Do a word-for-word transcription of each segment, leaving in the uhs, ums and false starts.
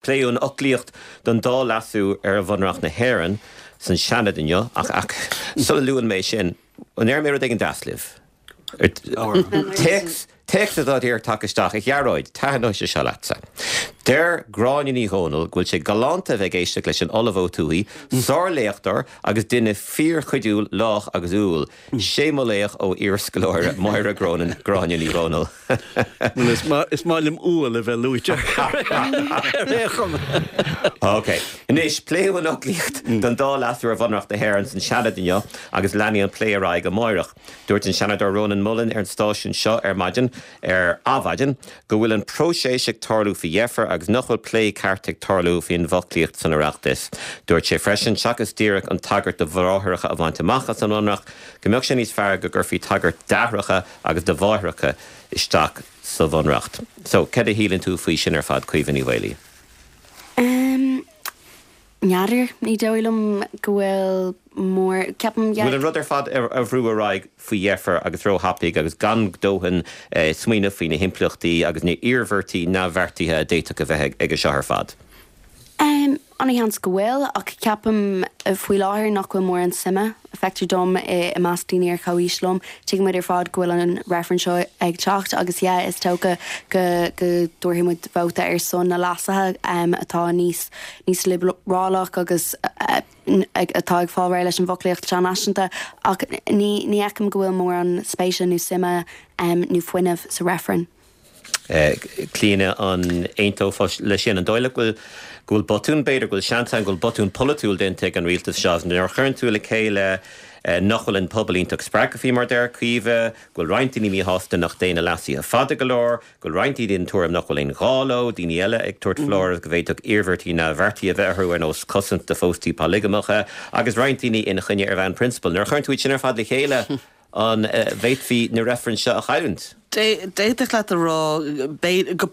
Pléadh an fhoclaíocht don dá leasú ar Bhunreacht na hÉireann san Seanad inniu ach ach sula luann mé sin an ndéarfaidh mé rud éigin deas libh. Téacs Téacs atá díreach tagtha isteach a Ghearóid, taitneoidh sé seo leatsa. Deir Gráinne Ní Dhomhnaill go bhfuil sé galánta bheith ag éisteacht leis an Ollamh Ó Tuathaigh, sárléachtóir agus duine fíorchuidiúil lách agus umhal. Sé mo laoch ó iarscoláire Máire Grónan Gráinne Ní Dhomhnaill. Well is maith liom umhal a bheith luaite ar aon chuma. Ok. Anois, pléadh an fhoclaíocht don dá leasú ar Bhunreacht na hÉireann san Seanad inniu agus leanfaidh an plé ar aghaidh amárach. Dúirt an Seanadóir Rónán Mullen ar an stáisiún seo ar maidin ar Adhmhaidin go bhfuil an próiseas ag tarlú faoi dheifir agus nach bhfuil plé ceart ag tarlú faoin bhfoclaíocht san Oireachtas. Dúirt sé freisin seachas díreach an tagairt do bhráithreacha a bhaint amach as an mBunreacht, go mbeadh sé níos fearr go gcuirfí tagairt d'aithreacha agus do mháithreacha isteach sa Bhunreacht. So cad a shíleann tú faoi sin ar fad Caoimhe Ní Mhaolaí? Um, N'fheadar ní dóigh liom go bhfuil mór ceapaim Bhfuil an rud ar fad ar a bhrú ar aghaidh faoi dheifir agus róthapaidh agus gan dóthain eh, smaoineamh faoi na himpleachtaí agus na hiarmhairtí neamhbheartaithe a d'fhéadfadh a bheith ag seo ar fad. Um, an-sheans go bhfuil ach ceapaim eh, faoi láthair nach bhfuil mórán suime feictear dom i measc daoine ar comhaois liom. Tuigimid ar fad go bhfuil an reifreann seo ag teacht agus yeah, is dócha go go dtabharfaidh muid vóta ar son na leasuithe um, atá níos níos liobrálach agus uh, atá ag fáil leis an bhfoclaíocht sean-náisiúnta ach ní ní fheicim go bhfuil mórán spéise nó suime um, nó fuinneamh sa reifreann. Clíona an aontófá le sin an dóigh bhfuil go bhfuil botún b'fhéidir go bhfuil seans go bhfuil botún polaitiúil déanta ag an rialtas seo nuair a chuireann tú le chéile nach bhfuil an pobal iontach spreagtha faoi mar deir Caoimhe, go bhfuil roinnt daoine míshásta nach dtéann na leasuithe fada go leor, go bhfuil roinnt daoine den tuairim nach bhfuil aon ghá leo, daoine eile ag tabhairt foláireamh go bhféadfadh iarmhairtí neamhbheartaithe a bheith orthu ar nós cosaint do phóstaí polagamacha, agus roinnt daoine ina choinne ar bhonn prionsabail. Nuair a chuireann tú sin ar fad le chéile an bhféadfaí na reifrinn seo a chailliúint. D'fhéadfadh leat a rá go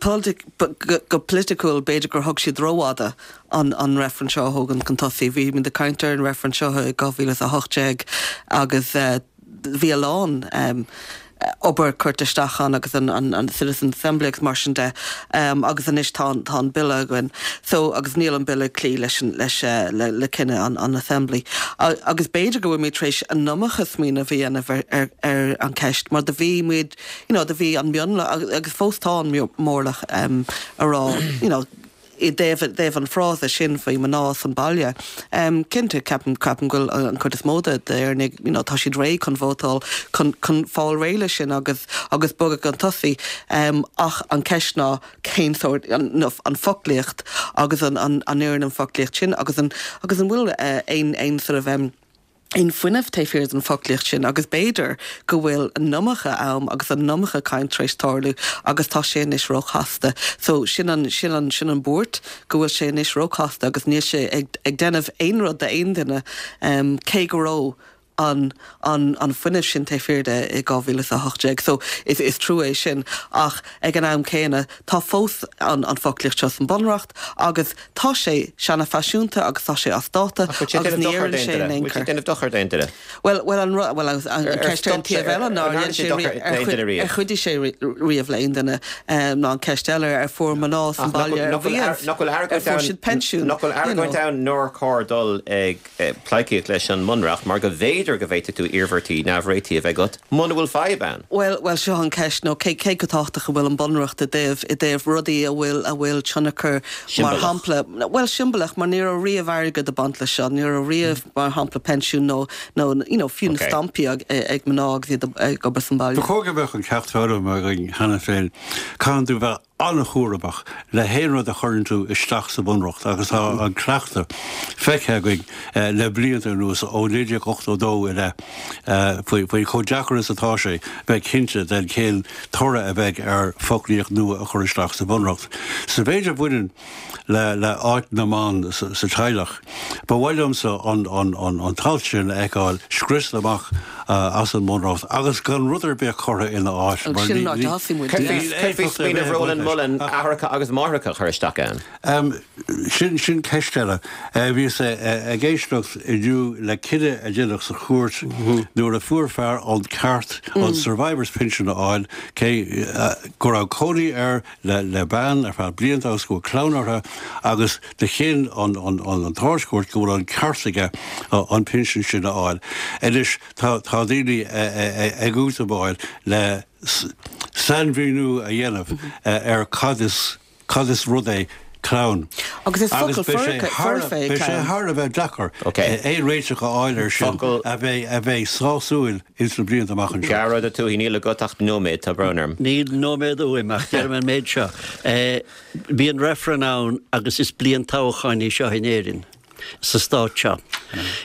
go polaitiúil b'fhéidir gur thug siad rófhada an an reifreann seo a thógaint chun tosaigh. Bhí muid ag caint ar an reifreann seo i dhá mhíle a hocht déag agus bhí a lán um, obair curtha isteach ann agus an, an, an Citizen Assembly agus mar sin de um, agus anois tá tá an bille againn so agus níl an bille clí leis leis uh, le, le cinneadh an, an Assembly. A, agus b'fhéidir go bhfuil muid tar éis an iomarca smaoineamh a dhéanamh ar, ar, ar an ceist mar do bhí muid you know, do bhí an mionlach agus fós tá an mórlach um, a rá you know, i dtaobh dtaobh an frása sin faoi mná san baile. Um, Cinnte ceapaim ceapaim go bhfuil an chuid is mó d'Éireannaigh you know, tá siad réidh chun vótáil chun chun fáil réidh leis sin agus agus bogadh chun tosaigh um, ach an ceist ná cén sórt an, no, an foclaíocht agus an an an an an foclaíocht sin agus an agus an bhfuil uh, aon aon sort of um, aon fuinneamh taobh thiar den foclaíocht sin agus b'fhéidir go bhfuil an iomarca am agus an iomarca caint tar éis tarlú agus tá sé anois róchasta. So sin an sin an sin an buairt go bhfuil sé anois róchasta agus níl sé ag, ag déanamh aon rud d'aon duine um, cé go raibh an an an fuinneamh sin taobh thiar de i dhá mhíle a hocht déag. So is is trua é sin ach ag an am céanna tá fós an an foclaíocht seo san bunreacht agus tá sé seanfhaiseanta agus tá sé as dáta agus ní sé déanamh dochar d'aon duine. Well well an well an ceist an taobh eile ná ar chuidigh sé riamh le aon duine ná an ceist eile ar fuair mná san baile nach bhfuil siad pensiún. Nach bhfuil argóint ann nár chóir dul ag pleidhcíocht leis an mbunreacht mar go bhféidir go bhféadfadh tú iarmhairtí neamhréitithe a bheith agat muna bhfuil fadhb ann. Well well seo an ceist nó cé cé go tábhachtach a bhfuil an bunreacht i dtaobh i dtaobh rudaí a bhfuil a bhfuil tionchar mar shampla well siombalach mar ní raibh riamh airgead ag baint leis seo ní raibh riamh mar shampla pensiún nó nó you know fiú na stampaí ag ag mná agus iad ag obair san baile. Ba chóir go mbeadh an ceacht foghlamtha againn cheana féin caithfidh tú bheith an-chúramach le haon rud a chuireann tú isteach sa bhunreacht agus tá an cleachtadh feicthe againn le blianta anuas ó naoi déag ochtó dó i leith faoi faoi chomh deacair is atá sé bheith cinnte den cén toradh a bheidh ar foclaíocht nua a chur isteach sa bhunreacht. Sa mhéid a bhaineann le le áit na mban sa, sa teaghlach. Ba mhaith liomsa an, an, an, an t-alt sin a fheiceáil scriosta amach uh, as an mbunreacht agus gan rud ar bith curtha ina áit. Agus sin an áit a thosaigh muid. Smaoineamh Rónán Mullen aithreacha agus máithreacha a chur isteach ann? Sin sin ceist eile. Bhíos ag éisteacht inniu le cinneadh a deineadh sa chúirt nuair a fuair fear an ceart an Survivor's Pension a fháil cé go raibh cónaí air le le bean ar feadh blianta agus go bhfuil clann orthu agus do chinn an an an tArd-Chúirt go bhfuil an ceart aige an pinsean sin a fháil. Anois tá tá daoine ag útamáil le sainmhíniú a dhéanamh ar cad is cad is rud é clann. Agus is focal foirfe é Beidh sé thar a bheith deacair aon réiteach a fháil air sin a bheidh a bheidh sásúil ins na blianta amach anseo. Gearóid Ó Tuathaigh, níl agat ach nóiméad, tá brón orm. Níl nóiméad uaim ach déarfaidh mé an méid seo. Bíonn reifreann ann agus is bliain toghcháin í seo in Éirinn. sa stát seo.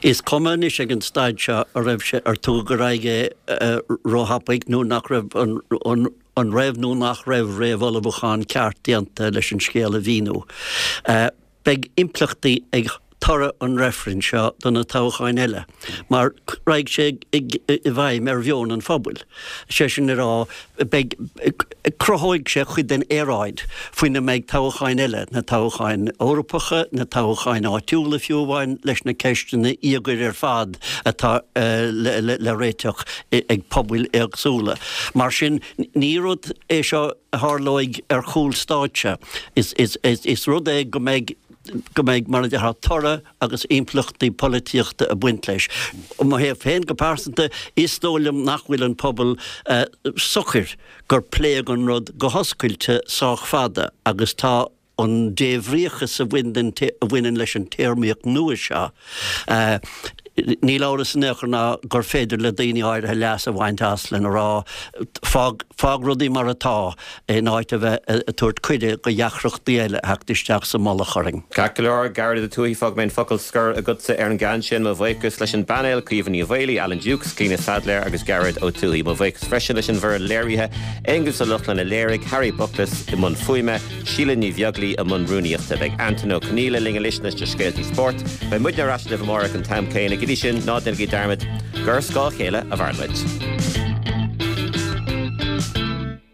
Is cuma anois ag an staid seo a raibh sé, ar tugadh ar aghaidh é róthapaidh nó nach raibh an, an, an raibh nó nach raibh réamhullmhúchán ceart déanta leis an scéal a mhíniú. Beidh impleachtaí ag toradh an reifrinn seo do na toghcháin eile mar raghaidh sé i bhfeidhm ar mheon an phobail. Sé sin le rá, beidh, cruthóidh sé cuid den aeráid faoina mbeidh toghcháin eile, na toghcháin Eorpacha, na toghcháin áitiúla fiú amháin, leis na ceisteanna íogair ar fad atá le réiteach ag pobail éagsúla. Mar sin, ní rud é seo a tharlóidh ar chúl stáitse. Is rud é go mbeidh, go mbeidh, mar a déarfá, toradh agus impleachtaí polaitíochta ag baint leis. Ó mo thaobh féin go pearsanta, is dóigh liom nach bhfuil an pobal socair gur pléadh an rud go hoscailte sách fada agus tá an débhríochas a bhaineann leis an téarmaíocht nua seo, Níl amhras in aon chor ná gur féidir le daoine áirithe leas a bhaint as lena rá, fág, fág rudaí mar atá, in áit a bheith ag tabhairt cuireadh do dheacrachtaí eile a theacht isteach sa mullach orainn. Ceart go leor, Gearóid Ó Tuathaigh, fágfaidh mé an focal scoir agatsa ar an gceann sin. Mo bhuíochas leis an bpainéal, Caoimhe Ní Mhaolaí, Alan Dukes, Clíona Saidléar agus Gearóid Ó Tuathaigh. Mo bhuíochas freisin leis an bhfoireann léirithe, Aonghus Ó Lochlainn a léirigh, Harry Buckless i mbun fuaime, Síle Ní Bheaglaoi i mbun rúnaíochta. Beidh Antain Ó Conghaile linn anois leis na scéaltaí spóirt. Beidh muidne ar ais libh amárach an t-am céanna. Go dtí sin, ná déanaigí dearmad gur ar scáth a chéile a mhaireann muid.